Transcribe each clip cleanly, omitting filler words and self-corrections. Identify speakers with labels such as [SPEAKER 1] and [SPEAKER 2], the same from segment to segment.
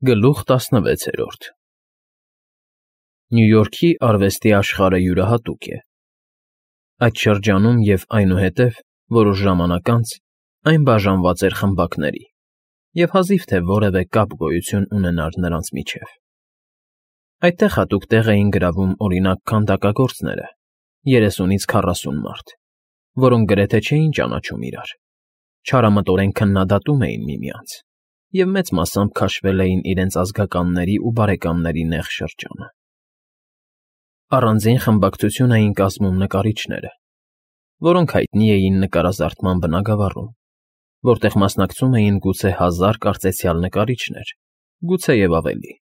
[SPEAKER 1] Գլուխ 16 Նյու Յորքի արվեստի աշխարհը յուրահատուկ է։ Այդ շրջանում և այնուհետև, որոշ ժամանակ անց, այն բաժանված էր խմբակների, և հազիվ թե որևէ կապ գոյություն ունենար նրանց միջև։ Այդտեղ հատուկ տեղ էին գրավում, օրինակ, քանդակագործները, 30-ից 40 մարդ, որոնք գրեթե չէին ճանաչում իրար, չարամտորեն քննադատում էին միմյանց և մեծ մասամբ քաշվել էին իրենց ազգականների ու բարեկամների նեղ շրջանը։ Առանձին խմբակցություն էին կազմում նկարիչները, որոնք հայտնի էին նկարազարդման բնագավառում, որտեղ մասնակցում էին գուցե 1000 կարծեցյալ նկարիչներ, գուցե և ավելի։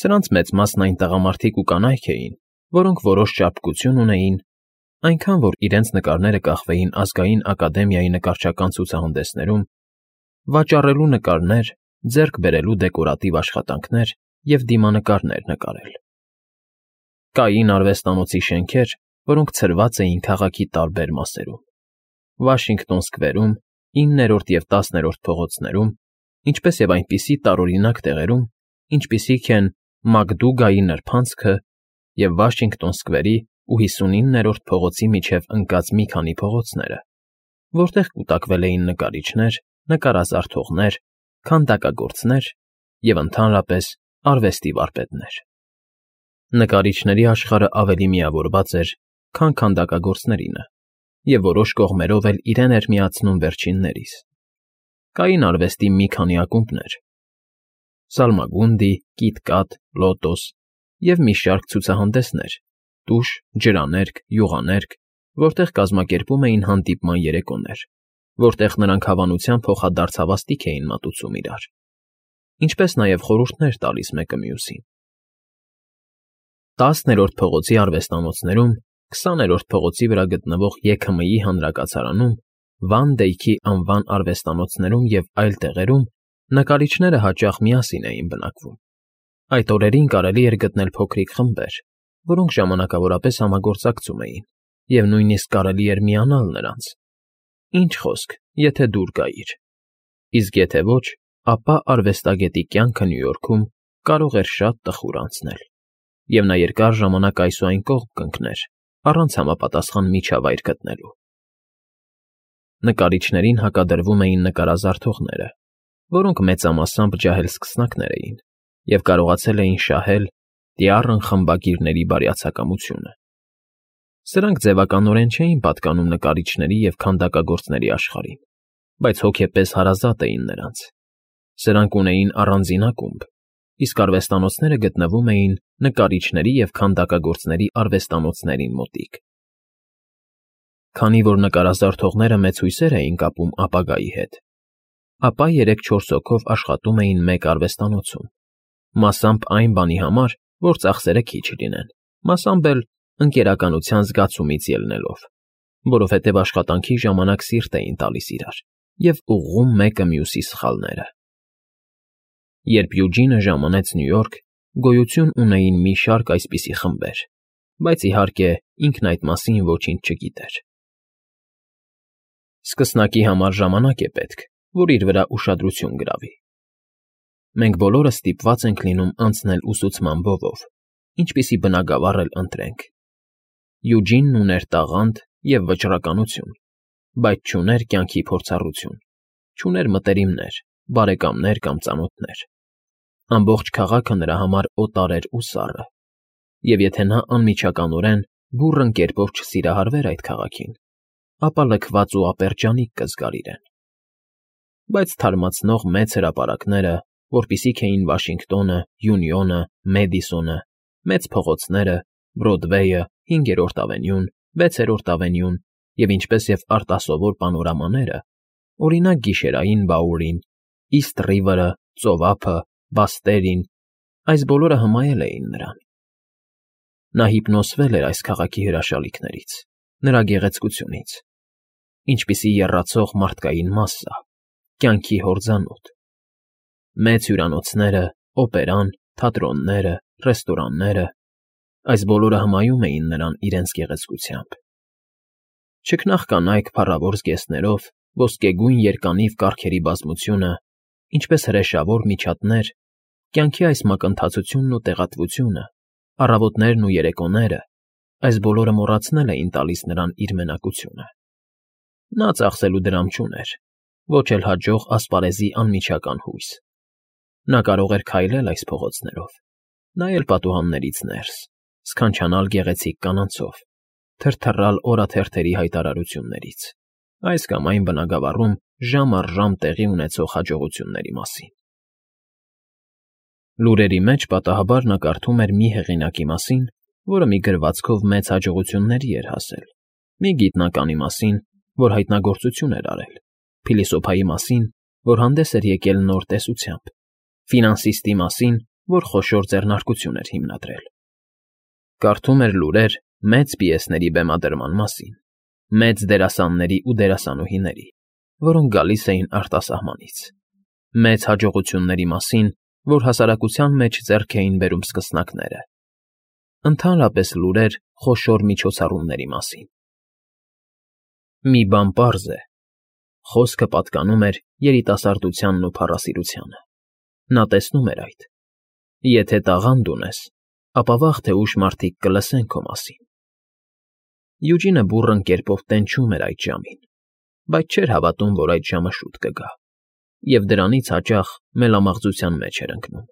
[SPEAKER 1] Սրանց մեծ մասն այն տղամարդիկ ու կանայք էին, որոնք որոշ ճարպկություն ունեին, այնքան որ իրենց նկարները կախվեին Ազգային ակադեմիայի նկարչական ցուցահանդեսներում, վաճառելու նկարներ, ձեռք բերելու դեկորատիվ աշխատանքներ և դիմանկարներ նկարել։ Կային արվեստանոցի շենքեր, որոնք ցրված էին քաղաքի տարբեր մասերում՝ Վաշինգտոն Սքվերում, 9-րդ և 10-րդ փողոցներում, ինչպես և այնպիսի տարօրինակ տեղերում, ինչպիսիք են Մակդուգայի նրբանցքը և Վաշինգտոն Սքվերի ու 59-րդ փողոցի միջև ընկած մի քանի փողոցները, որտեղ կուտակվել էին նկարիչներ, նկարազարդողներ, քանդակագործներ և, ընդհանրապես, արվեստի վարպետներ։ Նկարիչների աշխարհը ավելի միավորված էր, քան քանդակագործներինը, և որոշ կողմերով էլ իրեն էր միացնում վերջիններիս։ Կային արվեստի մի քանի ակումբներ՝ Սալմագունդի, Կիտ֊Կատ, Լոտոս և մի շարք ցուցահանդեսներ՝ տուշ, ջրաներկ, յուղաներկ, որտեղ կազմակերպում էին հանդիպման երեկոներ, որտեղ նրանք հավանության փոխադարձ հավաստիք էին մատուցում իրար, ինչպես նաև խորհուրդներ տալիս մեկը մյուսին։ 10-րդ փողոցի արվեստանոցներում, 20-րդ փողոցի վրա գտնվող ԵՔՄ֊ի հանրակացարանում, Վան Դեյքի անվան արվեստանոցներում և այլ տեղերում նկարիչները հաճախ միասին էին բնակվում։ Այդ օրերին կարելի էր գտնել փոքրիկ խմբեր, որոնք ժամանակավորապես համագործակցում էին, և նույնիսկ կարելի էր միանալ նրանց, ինչ խոսք, եթե դուր գայիր, իսկ եթե ոչ, ապա արվեստագետի կյանքը Նյու Յորքում կարող էր շատ տխուր անցնել, և նա երկար ժամանակ այս ու այն կողմ կընկներ, առանց համապատասխան միջավայր գտնելու։ Նկարիչներին հակադրվում էին նկարազարդողները, որոնք մեծամասամբ ջահել սկսնակներ էին և կարողացել էին շահել դյառն խմբագիրների բարյացակամությունը։ Սրանք ձևականորեն չէին պատկանում նկարիչների և քանդակագործների աշխարհին, բայց հոգեպես հարազատ էին նրանց։ Սրանք ունեին առանձին ակումբ, իսկ արվեստանոցները գտնվում էին նկարիչների և քանդակագործների արվեստանոցներին մոտիկ։ Քանի որ նկարազարդողները մեծ հույսեր էին կապում ապագայի հետ, ապա 3-4 հոգով աշխատում էին մեկ արվեստանոցում, մասամբ այն բանի համար, որ ծախսերը քիչ լինեն, մասամբ էլ ընկերականության զգացումից ելնելով, որովհետև աշխատանքի ժամանակ սիրտ էին տալիս իրար և ուղղում մեկը մյուսի սխալները։ Երբ Յուջինը ժամանեց Նյու Յորք, գոյություն ունեին մի շարք այսպիսի խմբեր, բայց, իհարկե, ինքն այդ մասին ոչինչ չգիտեր։ Սկսնակի համար ժամանակ է պետք, որ իր վրա ուշադրություն գրավի։ Մենք բոլորը ստիպված ենք լինում անցնել ուսուցման բովով, ինչպիսի բնագավառ էլ ընտրենք։ Յուջինն ուներ տաղանդ և վճռականություն, բայց չուներ կյանքի փորձառություն, չուներ մտերիմներ, բարեկամներ կամ ծանոթներ։ Ամբողջ քաղաքը նրա համար օտար էր ու սառը, և եթե նա անմիջականորեն, բուռն կերպով չսիրահարվեր այդ քաղաքին, ապա լքված ու ապերջանիկ կզգար իրեն։ Բայց թարմացնող մեծ հրապարակները, որպիսիք էին Վաշինգտոնը, Յունիոնը, Մեդիսոնը, մեծ փողոցները, Բրոդվեյը, 5-րդ ավենյուն, 6-րդ ավենյուն և ինչպես և արտասովոր պանորամաները, օրինակ Գիշերային Բաուրին, Իսթ Ռիվերը, Ծովափը, Բաստերին, այս բոլորը հմայել էին նրան։ Նա հիպնոսվել էր այս քաղաքի հրաշալիքներից, նրա գեղեցկությունից, ինչպիսի եռացող մարդկային մասսա, կյանքի հորձանուտ։ Մեծ հյուրանոցները, օպերան, թատրոնները, ռեստորանները, այս բոլորը հմայում էին նրան իրենց գեղեցկությամբ։ Չքնաղ կանայք փառավոր զգեստներով, ոսկեգույն երկանիվ կառքերի բազմությունը, ինչպես հրեշավոր միջատներ Կյանքի այս մակընթացությունն ու տեղատվությունը, առավոտներն ու երեկոները, այս բոլորը մոռացնել էին տալիս նրան իր մենակությունը։ Նա ծախսելու դրամ չուներ, ոչ էլ հաջող ասպարեզի անմիջական հույս։ Նա կարող էր քայլել այս փողոցներով, նայել պատուհաններից ներս, սքանչանալ գեղեցիկ կանանցով, թրթռալ օրաթերթերի հայտարարություններից, այս կամ այն բնագավառում ժամ առ ժամ տեղի ունեցող հաջողությունների մասին։ Լուրերի մեջ պատահաբար նա կարդում էր մի հեղինակի մասին, որը մի գրվածքով մեծ հաջողությունների էր հասել, մի գիտնականի մասին, որ հայտնագործություն էր արել, փիլիսոփայի մասին, որ հանդես էր եկել նոր տեսությամբ, ֆինանսիստի մասին, որ խոշոր ձեռնարկություն էր հիմնադրել։ Կարդում էր լուրեր մեծ պիեսների բեմադրման մասին, մեծ դերասանների ու դերասանուհիների, որոնք գալիս էին արտասահմանից, մեծ հաջողությունների մասին, որ հասարակության մեջ ձեռք էին բերում սկսնակները, ընդհանրապես լուրեր խոշոր միջոցառումների մասին։ Մի բան պարզ է. խոսքը պատկանում էր երիտասարդությանն ու փառասիրությանը։ Նա տեսնում էր այդ. եթե տաղանդ ունես, ապա վաղ թե ուշ մարդիկ կլսեն քո մասին։ Յուջինը բուռն կերպով տենչում էր այդ ժամին, բայց չէր հավատում, որ այդ ժամը շուտ կգա, և դրանից հաճախ մելամաղձության մեջ էր ընկնում։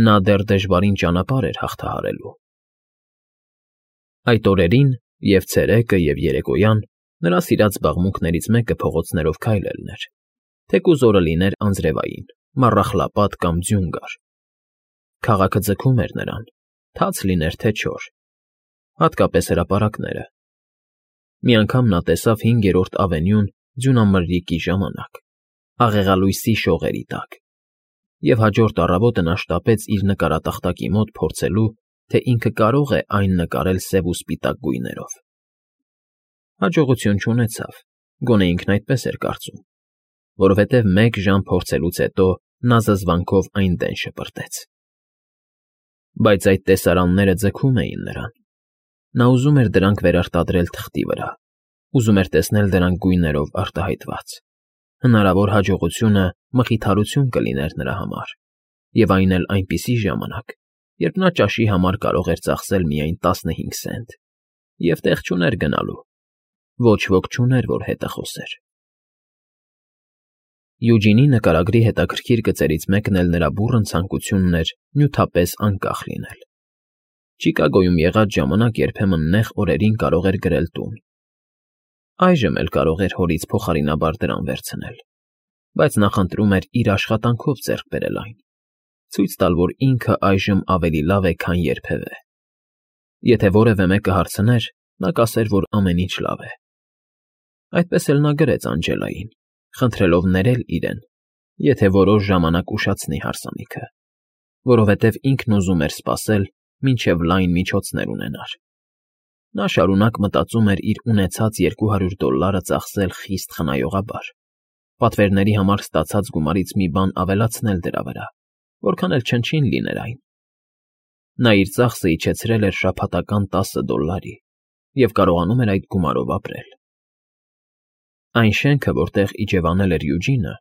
[SPEAKER 1] Նա դեռ դժվարին ճանապարհ էր հաղթահարելու։ Այդ օրերին, և ցերեկը, և երեկոյան նրա սիրած զբաղմունքներից մեկը փողոցներով քայլելն էր, թեկուզ օրը լիներ անձրևային, մառախլապատ կամ ձյուն գար։ Քաղաքը ձգում էր նրան, թաց լիներ թե չոր, հատկապես հրապարակները։ Մի անգամ նա տեսավ 5-րդ ավենյուն ձյունամրրիկի ժամանակ, աղեղալույսի շողերի տակ, և հաջորդ առավոտը նա շտապեց իր նկարատախտակի մոտ փորձելու, թե ինքը կարող է այն նկարել սև ու սպիտակ գույներով։ Հաջողություն չունեցավ, գոնե ինքն այդպես էր կարծում, որովհետև մեկ ժամ փորձելուց հետո նա զզվանքով այն դեն շպրտեց։ Բայց այդ տեսարանները ձգում էին նրան։ Նա ուզում էր դրանք վերարտադրել թղթի վրա, ուզում էր տեսնել դրանք գույներով արտահայտված։ Հնարավոր հաջողությունը մխիթարություն կլիներ նրա համար, և այն էլ այնպիսի ժամանակ, երբ նա ճաշի համար կարող էր ծախսել միայն 15 սենտ, և տեղ չուներ գնալու, ոչ ոք չուներ, որ հետը խոսեր։ Յուջինի նկարագրի հետաքրքիր գծերից մեկն էլ նրա բուռն ցանկությունն էր նյութապես անկախ լինել։ Չիկագոյում եղած ժամանակ երբեմն նեղ օրերին կարող էր գրել տուն։ Այժմ էլ կարող էր հորից փոխարինաբար դրամ վերցնել, բայց նախընտրում էր իր աշխատանքով ձեռք բերել այն, ցույց տալ, որ ինքը այժմ ավելի լավ է, քան երբևէ։ Եթե որևէ մեկը հարցներ, նա կասեր, որ ամեն ինչ լավ է։ Այդպես էլ նա գրեց Անջելային, խնդրելով ներել իրեն, եթե որոշ ժամանակ ուշացնի հարսանիքը, որովհետև ինքն ուզում էր սպասել, մինչև լայն միջոցներ ունենար։ Նա շարունակ մտածում էր իր ունեցած $200 ծախսել խիստ խնայողաբար, պատվերների համար ստացած գումարից մի բան ավելացնել դրա վրա, որքան էլ չնչին լիներ այն։ Նա իր ծախսը իջեցրել էր շաբաթական $10 և կարողանում էր այդ գումարով ապրել։ Այն շենքը, որտեղ իջևանել էր Յուջինը,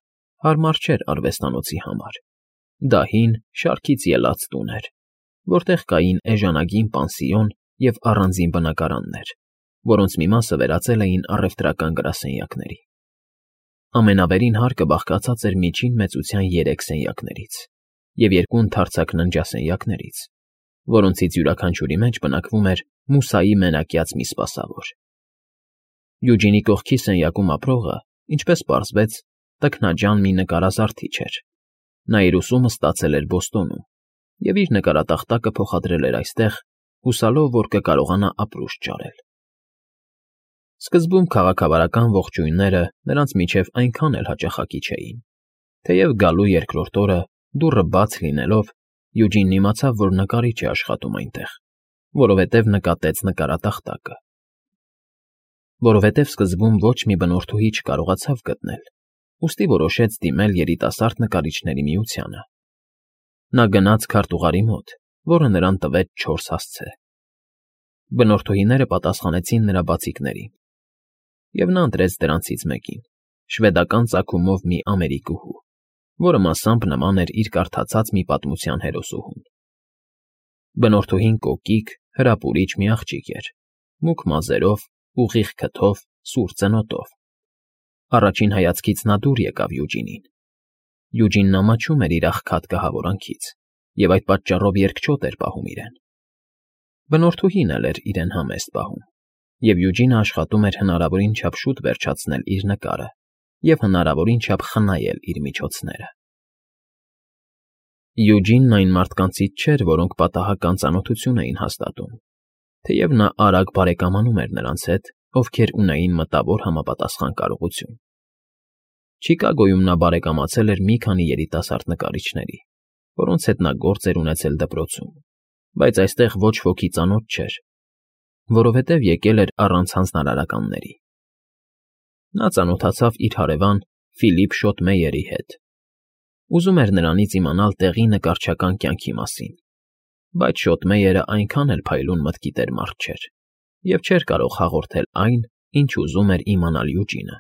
[SPEAKER 1] հարմար չէր արվեստանոցի համար։ Դա հին, շարքից ելած տուն էր, որտեղ կային էժանագին պանսիոն և առանձին բնակարաններ, որոնց մի մասը վերածել էին առևտրական գրասենյակների։ Ամենավերին հարկը բաղկացած էր միջին մեծության 3 սենյակներից և 2 ընդարձակ ննջասենյակներից, որոնցից յուրաքանչյուրի մեջ բնակվում էր մուսայի մենակյաց մի սպասավոր։ Յուջինի կողքի սենյակում ապրողը, ինչպես պարզվեց, տքնաջան մի նկարազարդիչ էր։ Նա իր ուսումը ստացել էր Բոստոնում և իր նկարատախտակը փոխադրել էր այստեղ, հուսալով, որ կկարողանա ապրուստ ճարել։ Սկզբում քաղաքավարական ողջույնները նրանց միջև այնքան էլ հաճախակի չէին, թեև գալու երկրորդ օրը, դուռը բաց լինելով, Յուջինն իմացավ, որ նկարիչ է աշխատում այնտեղ, որովհետև նկատեց նկարատախտակը։ Որովհետև սկզբում ոչ մի բնորդուհի չկարողացավ գտնել, ուստի որոշեց դիմել երիտասարդ նկարիչների միությանը։ Նա գնաց քարտուղարի մոտ, որը նրան տվեց 4 հասցե։ Բնորդուհիները պատասխանեցին նրա բացիկներին, և նա ընտրեց դրանցից մեկին՝ շվեդական ծագումով մի ամերիկուհու, որը մասամբ նման էր իր կարդացած մի պատմության հերոսուհուն։ Բնորդուհին կոկիկ, հրապուրիչ մի աղջիկ էր, մուգ մազերով, ուղիղ քթով, սուր ծնոտով։ Առաջին հայացքից նա դուր եկավ Յուջինին։ Յուջինն ամաչում էր իր աղքատ կահավորանքից և այդ պատճառով երկչոտ էր պահում իրեն։ Բնորդուհին էլ էր իրեն համեստ պահում, և Յուջինը աշխատում էր հնարավորին չափ շուտ վերջացնել իր նկարը և հնարավորին չափ խնայել իր միջոցները։ Յուջինն այն մարդկանցից չէր, որոնք պատահական ծանոթություն էին հաստատում, թեև նա արագ բարեկամանում էր նրանց հետ, ովքեր ունեին մտավոր համապատասխան կարողություն։ Չիկագոյում նա բարեկամացել էր մի քանի երիտասարդ նկարիչների, որոնց հետ նա գործ էր ունեցել դպրոցում, բայց այստեղ ոչ ոքի ծանոթ չէր, որովհետև եկել էր առանց հանձնարարականների։ Նա ծանոթացավ իր հարևան Ֆիլիպ Շոտմեյերի հետ։ Ուզում էր նրանից իմանալ տեղի նկարչական կյանքի մասին, բայց Շոտմեյերը այնքան էլ փայլուն մտքի տեր մարդ չէր և չէր կարող հաղորդել այն, ինչ ուզում էր իմանալ Յուջինը։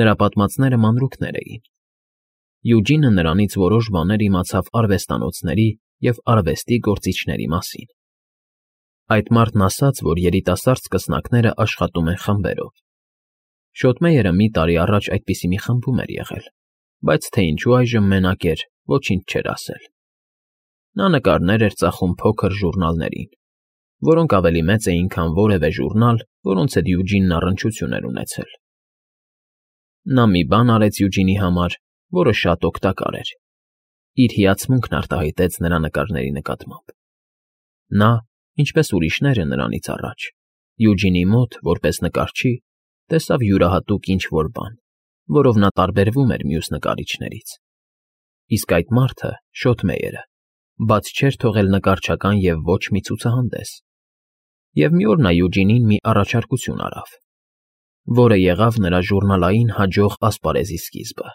[SPEAKER 1] Նրա պատմածները մանրուքներ էին։ Յուջինը նրանից որոշ բաներ իմացավ արվեստանոցների և արվեստի գործիչների մասին։ Այդ մարդն ասաց, որ երիտասարդ սկսնակները աշխատում են խմբերով։ Շոտմեյերը մի տարի առաջ այդպիսի մի խմբում էր եղել, բայց թե ինչու այժմ մենակ էր, ոչինչ չէր ասել։ Նա նկարներ էր ծախում փոքր ժուրնալներին, որոնք ավելի մեծ էին, քան որևէ ժուրնալ, որոնց հետ Յուջինն առնչություն էր ունեցել։ Նա մի բան արեց Յուջինի համար, որը շատ օգտակար էր։ Իր հիացմունքն արտահայտեց նրա նկարների նկատմամբ։ Նա, ինչպես ուրիշները նրանից առաջ, Յուջինի մոտ, որպես նկարչի, տեսավ յուրահատուկ ինչ֊որ բան, որով նա տարբերվում էր մյուս նկարիչներից։ Իսկ այդ մարդը, Շոտմեյերը, բաց չէր թողել նկարչական և ոչ մի ցուցահանդես։ Եվ մի օր նա Յուջինին մի առաջարկություն արավ, որը եղավ նրա ժուրնալային հաջող ասպարեզի սկիզբը։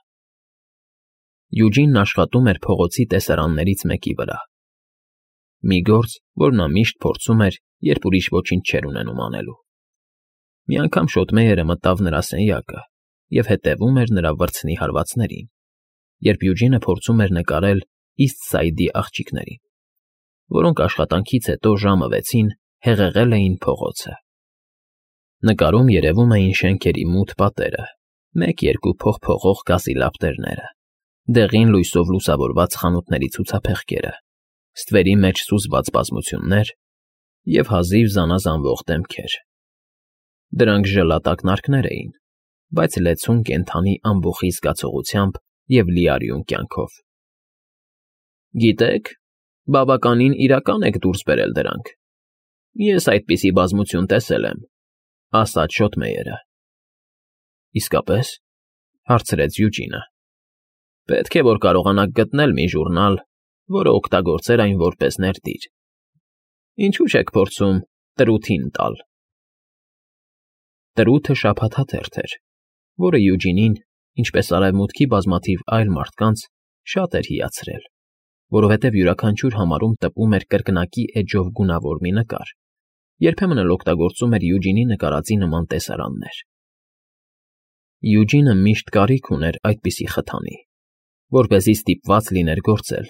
[SPEAKER 1] Յուջինն աշխատում էր փողոցի տեսարաններից մեկի վրա։ Մի գործ, որ նա միշտ փորձում էր, երբ ուրիշ ոչինչ չէր ունենում անելու։ Մի անգամ Շոտմեյերը մտավ նրա սենյակը և հետևում էր նրա վրձնի հարվածներին, երբ Յուջինը փորձում էր նկարել Իսթ Սայդի աղջիկներին, որոնք աշխատանքից հետո ժամը 6-ին հեղեղել էին փողոցը։ Նկարում երևում էին շենքերի մութ պատերը, մեկ-երկու փողփողող գազի լապտերները, դեղին լույսով լուսավորված խանութների ցուցափեղկերը, ստվերի մեջ սուզված բազմություններ և հազիվ զանազանվող դեմքեր։ Դրանք ժլատակնարկներ էին, բայց լեցուն կենդանի ամբոխի զգացողությամբ և լիարյուն կյանքով։ Գիտեք, բավականին իրական եք դուրս բերել դրանք։ Ես այդպիսի բազմություն տեսել եմ, ասաց Շոտմեյերը։ Իսկապես, հարցրեց Յուջինը։ Պետք է, որ կարողանաք գտնել մի ժուրնալ, որը օգտագործեր այն որպես ներդիր։ Ինչու՞ չեք փորձում Տրութին տալ։ Տրութը շաբաթաթերթ էր, որը Յուջինին, ինչպես արևմուտքի բազմաթիվ այլ մարդկանց, շատ էր հիացրել, որովհետև յուրաքանչյուր համարում տպում էր կրկնակի էջով գունավոր մի նկար, երբեմն էլ օգտագործում էր Յուջինի նկարածի նման տեսարաններ։ Յուջինը միշտ կարիք ուներ այդպիսի խթանի, որպեսզի ստիպված լիներ գործել,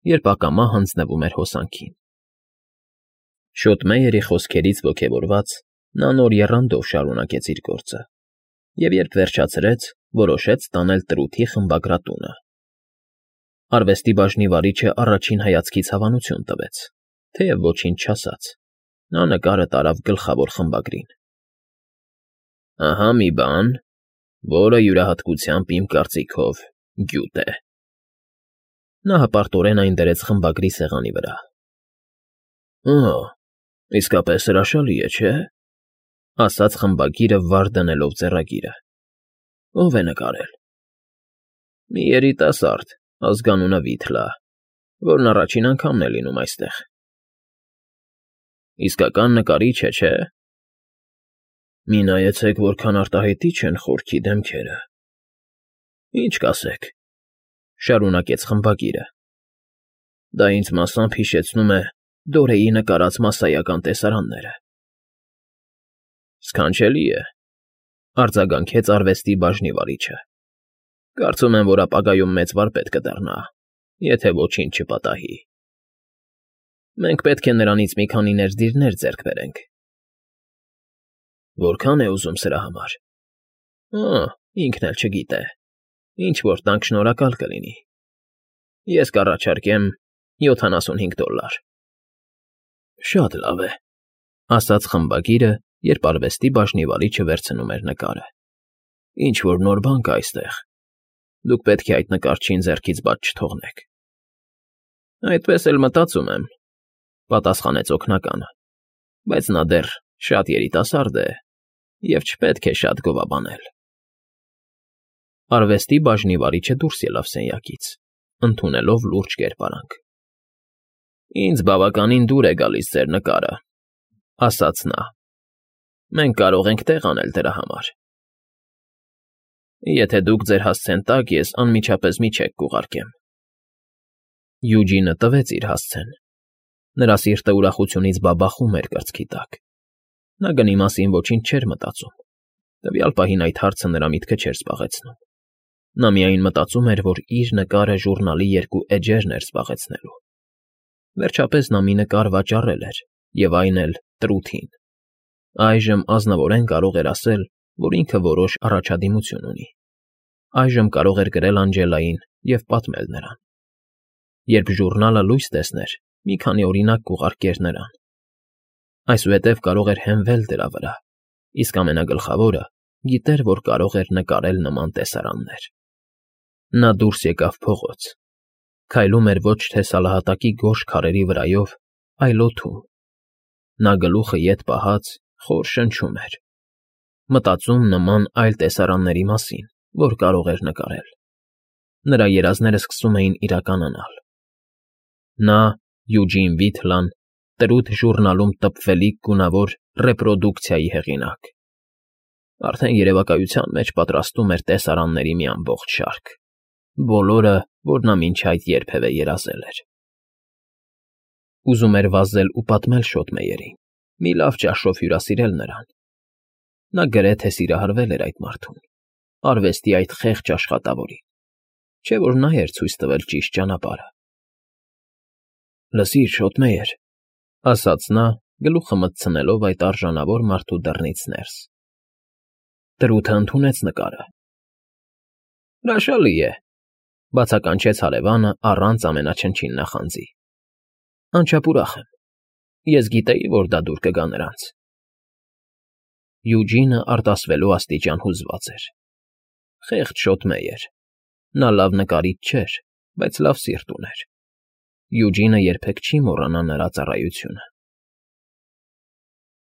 [SPEAKER 1] երբ ակամա հանձնվում էր հոսանքին։ Շոտմեյերի խոսքերից ոգևորված, նա նոր եռանդով շարունակեց իր գործը, և երբ վերջացրեց, որոշեց տանել Տրութի խմբագրատունը։ Արվեստի բաժնի վարիչը առաջին հայացքից հավանություն տվեց, թեև ոչինչ չասաց։ Նա նկարը տարավ գլխավոր խմբագրին։ Ահա մի բան, որը յուրահատկությամբ իմ կարծիքով գյուտ է։ Նա հպարտորեն այն դրեց խմբագրի սեղանի վրա։ Օ, իսկապես հրաշալի է, չէ՞, ասաց խմբագիրը վար դնելով ձեռագիրը։ Ո՞վ է նկարել։ Մի երիտասարդ, ազգանունը Վիթլա, որն առաջին անգամն է լինում այստեղ։ Իսկական նկարիչ է, չէ՞։ Մի նայեցեք, որքան արտահայտիչ են խորքի դեմքերը։ Ինչ կասեք, շարունակեց խմբագիրը։ Դա ինձ մասամբ հիշեցնում է Դորեի նկարած մասսայական տեսարանները։ Սքանչելի է, արձագանքեց արվեստի բաժնի վարիչը։ Կարծում եմ, որ ապագայում մեծ վարպետ կդառնա, եթե ոչինչ չպատահի։ Մենք պետք է նրանից մի քանի ներդիրներ ձեռք բերենք։ Որքա՞ն է ուզում սրա համար։ Ինքն էլ չգիտե։ Ինչ որ տանք շնորհակալ կլինի։ Ես կառաջարկեմ $75։ Շատ լավ է, ասաց խմբագիրը, երբ արվեստի բաժնիվարիչը վերցնում էր նկարը։ Ինչ որ նոր բան կա այստեղ։ Դուք պետք է այդ նկարչին ձեռքից բաց չթողնեք։ Այդպես էլ մտածում եմ, պատասխանեց օգնականը, բայց նա դեռ շատ երիտասարդ է և չպետք է շատ գովաբանել։ Արվեստի բաժնիվարիչը դուրս ելավ սենյակից, ընդունելով լուրջ կերպարանք։ Ինձ բավականին դուր է գալիս ձեր նկարը, ասաց նա։ Մենք կարող ենք տեղ անել դրա համար։ Եթե դուք ձեր հասցեն տաք, ես անմիջապես մի չեք կուղարկեմ։ Յուջինը տվեց իր հասցեն։ Նրա սիրտը ուրախությունից բաբախում էր կրծքի տակ։ Նա գնի մասին ոչինչ չէր մտածում։ Տվյալ պահին այդ հարցը նրա միտքը չէր զբաղեցնում։ Նա միայն մտածում էր, որ իր նկարը ժուռնալի երկու էջերն էր զբաղեցնելու։ Վերջապես նա մի նկար վաճառել էր, և այն էլ Տրութին։ Այժմ ազնվորեն կարող էր ասել, որ ինքը որոշ առաջադիմություն ունի։ Այժմ կարող էր գրել Անջելային և պատմել նրան։ Երբ ժուռնալը լույս տեսներ, մի քանի օրինակ կուղարկեր նրան։ Այսուհետև կարող էր հենվել դրա վրա, իսկ ամենագլխավորը՝ գիտեր, որ կարող էր նկարել նման տեսարաններ։ Նա դուրս եկավ փողոց։ Քայլում էր ոչ թե սալահատակի գորշ քարերի վրայով, այլ օդում։ Նա գլուխը ետ պահած խոր շնչում էր, մտածում նման այլ տեսարանների մասին, որ կարող էր նկարել։ Նրա երազները սկսում էին իրականանալ։ Նա, Յուջին Վիթլան, Տրութ ժուռնալում տպվելիք գունավոր ռեպրոդուկցիայի հեղինակ։ Արդեն երևակայության մեջ պատրաստում էր տեսարանների մի ամբողջ շարք, բոլորը, որ նա մինչ այդ երբևէ երազել էր։ Ուզում էր վազել ու պատմել շոթմեյերին, մի լավ ճաշով հյուրասիրել նրան։ Նա գրեթե սիրահարվել էր այդ մարդուն, արվեստի այդ խեղճ աշխատավորին, չէ՞ որ նա էր ցույց տվել ճիշտ ճանապարհը։ Լսիր, շոթմեյեր, ասաց նա, գլուխը մտցնելով այդ արժանավոր մարդու դռնից ներս։ Տրութը ընդունեց նկարը։ Հրաշալի է, բացականչեց հարևանը առանց ամենաչնչին նախանձի։ Անչափ ուրախ եմ։ Ես գիտեի, որ դա դուր կգա նրանց։ Յուջինը արտասվելու աստիճան հուզված էր։ Խեղճ շոթմեյեր։ Նա լավ նկարիչ չէր, բայց լավ սիրտ ուներ։ Յուջինը երբեք չի մոռանա նրա ծառայությունը։